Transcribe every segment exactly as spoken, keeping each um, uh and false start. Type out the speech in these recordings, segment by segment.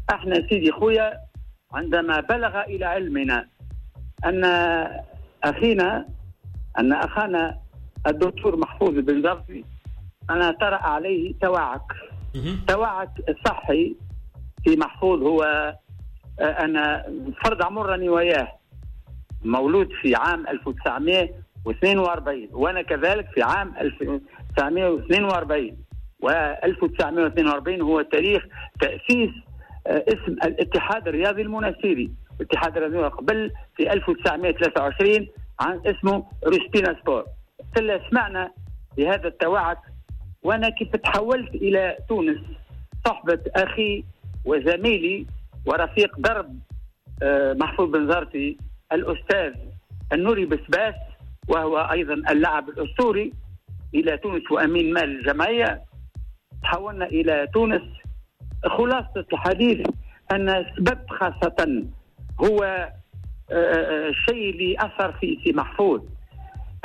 احنا سيدي خويا عندما بلغ الى علمنا ان اخينا ان اخانا الدكتور محفوظ البنزرتي انا طرأ عليه توعك، توعك الصحي في محفوظ. هو انا فرد عمرني وياه، مولود في عام ألف وتسعمائة واثنين وأربعين وانا كذلك في عام ألف وتسعمائة واثنين وأربعين، و ألف وتسعمائة واثنين وأربعين هو تاريخ تأسيس اسم الاتحاد الرياضي المنستيري. الاتحاد الرياضي قبل في ألف وتسعمائة وثلاثة وعشرين عن اسمه روسبينا سبور. سمعنا بهذا التوعد، وانا كيف تحولت الى تونس صحبة اخي وزميلي ورفيق درب محفوظ بنزرتي الاستاذ النوري بسباس، وهو ايضا اللاعب الاسطوري الى تونس وامين مال الجمعية. تحولنا الى تونس. خلاصه الحديث ان السبب خاصة هو الشيء اللي اثر في سي محفوظ،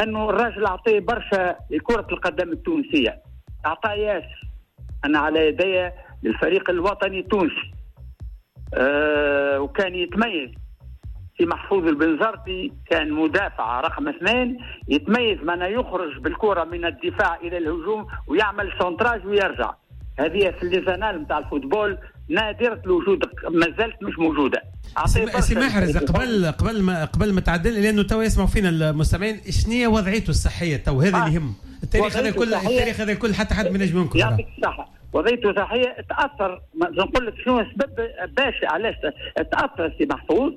انه الراجل اعطيه برشا لكرة القدم التونسية، اعطاه ياسر. انا على يدي للفريق الوطني التونسي، أه وكان يتميز في محفوظ البنزرتي، كان مدافع رقم اثنين يتميز من يخرج بالكرة من الدفاع إلى الهجوم ويعمل centrage ويرجع. هذه في les annales نتاع ال football نادرة الوجود، ما زالت مش موجودة. سي محرز، قبل قبل ما قبل ما تعدل، لأنه تو يسمعوا فينا المستمعين، شنو هي وضعيته الصحية تو؟ هذا اللي يهم. التاريخ هذا كل التاريخ هذا كل حتى حد ما ينجم ينكر. يعطيك الصحة. وضعيته الصحية تأثر، نقول لك شنو السبب باش علاش تأثر سي محفوظ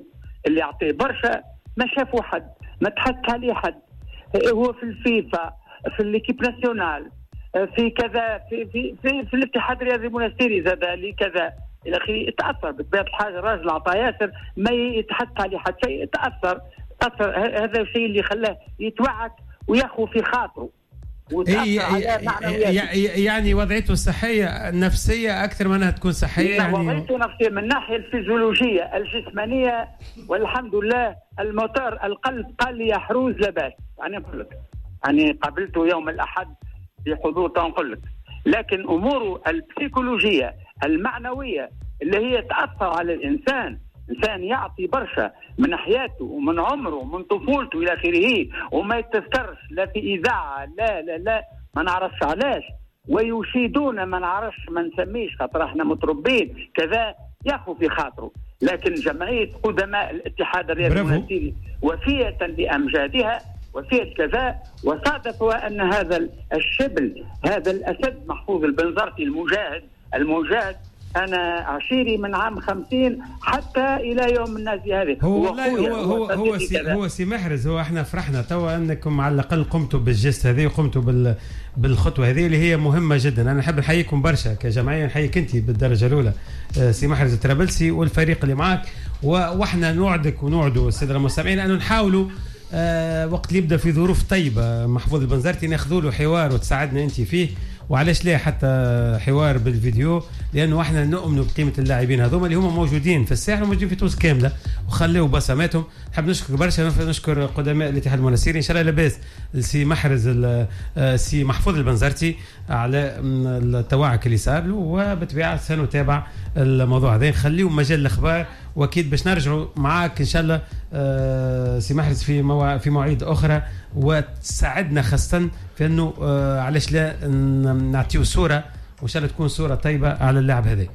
اللي يعطيه برشا، ما شافوا حد، ما تحدث عليه حد، هو في الفيفا، في l'équipe nationale، في كذا، في في في, في الاتحاد الرياضي المنستيري زاد لي كذا الى اخره. تاثر بطبيعة الحاجة، الراجل عطى ياسر ما يتحدث عليه حد شيء، تاثر تاثر هذا الشيء اللي خلاه يتوعك وياخذ في خاطره. يعني وضعيته الصحية النفسية أكثر من أنها تكون صحية، يعني وضعيته النفسية من الناحية الفيزيولوجية الجسمانية والحمد لله. الموتور القلب قال لي يا حروز لاباس، يعني نقول لك يعني قابلته يوم الأحد بحضور تنقل لك، لكن أموره البسيكولوجية المعنوية اللي هي تأثر على الإنسان، إنسان يعطي برشا من حياته ومن عمره ومن طفولته إلى آخره، وما يتذكرش لا في إذاعة لا لا لا ما نعرفش علاش، ويشيدون ما نعرفش ما نسميش خاطر احنا متربين كذا، ياخو في خاطره. لكن جمعية قدماء الاتحاد الرياضي المنستيري وفية لأمجادها وفية كذا، وصادفوا أن هذا الشبل هذا الأسد محفوظ البنزرتي المجاهد المجاهد أنا عشيري من عام خمسين حتى إلى يوم الناس هذه. هو والله هو هو هو سي هو سي محرز، هو احنا فرحنا توا أنكم على الأقل قمتوا بال geste هذه وقمتوا بال بالخطوة هذه اللي هي مهمة جدا. أنا نحب نحييكم برشا كجمعية، نحييك أنت بالدرجة الأولى سي محرز الطرابلسي والفريق اللي معك، وإحنا نوعدك ونوعدوا السادة المستمعين أنه نحاولوا آه وقت اللي يبدا في ظروف طيبة محفوظ البنزرتي ناخذوا له حوار وتساعدنا انت فيه، وعلاش لا حتى حوار بالفيديو، لانه احنا نؤمنوا بقيمة اللاعبين هذوما اللي هما موجودين في الساحل وموجودين في تونس كاملة وخليوا بصماتهم. نحب نشكر برشا، نشكر قدماء الاتحاد المنستيري، ان شاء الله لاباس سي محرز سي محفوظ البنزرتي على التوعك اللي صار له، وبالطبيعه سنتابع الموضوع هذا، نخليو مجال الاخبار، واكيد باش نرجعوا معاك ان شاء الله سي محرز في موا... في مواعيد اخرى، وتساعدنا خاصة في انه علاش لا نعطيو صوره، وان شاء الله تكون صوره طيبة على اللاعب هذا.